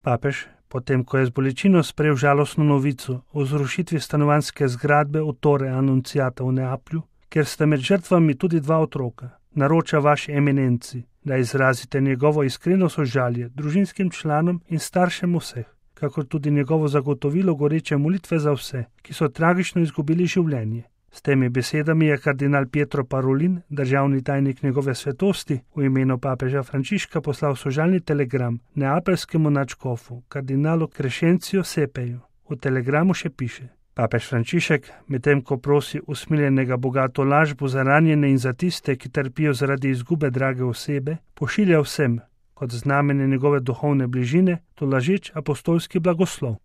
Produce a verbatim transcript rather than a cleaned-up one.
Papež, potem ko je z bolečino sprejel žalostno novico o zrušitvi stanovanjske zgradbe v Torre Annunziata v Neaplju, kjer sta med žrtvami tudi dva otroka, naroča vaši eminenci, da izrazite njegovo iskreno sožalje družinskim članom in staršem vseh, kakor tudi njegovo zagotovilo goreče molitve za vse, ki so tragično izgubili življenje. S temi besedami je kardinal Pietro Parolin, državni tajnik njegove svetosti, v imenu papeža Frančiška poslal sožalni telegram neapeljskemu nadškofu, kardinalu Crescenzio Sepeju. V telegramu še piše: Papež Frančišek, medtem ko prosi usmiljenega bogato lažbo za ranjene in za tiste, ki trpijo zaradi izgube drage osebe, pošilja vsem, kot znamenje njegove duhovne bližine, tolažeč apostolski blagoslov.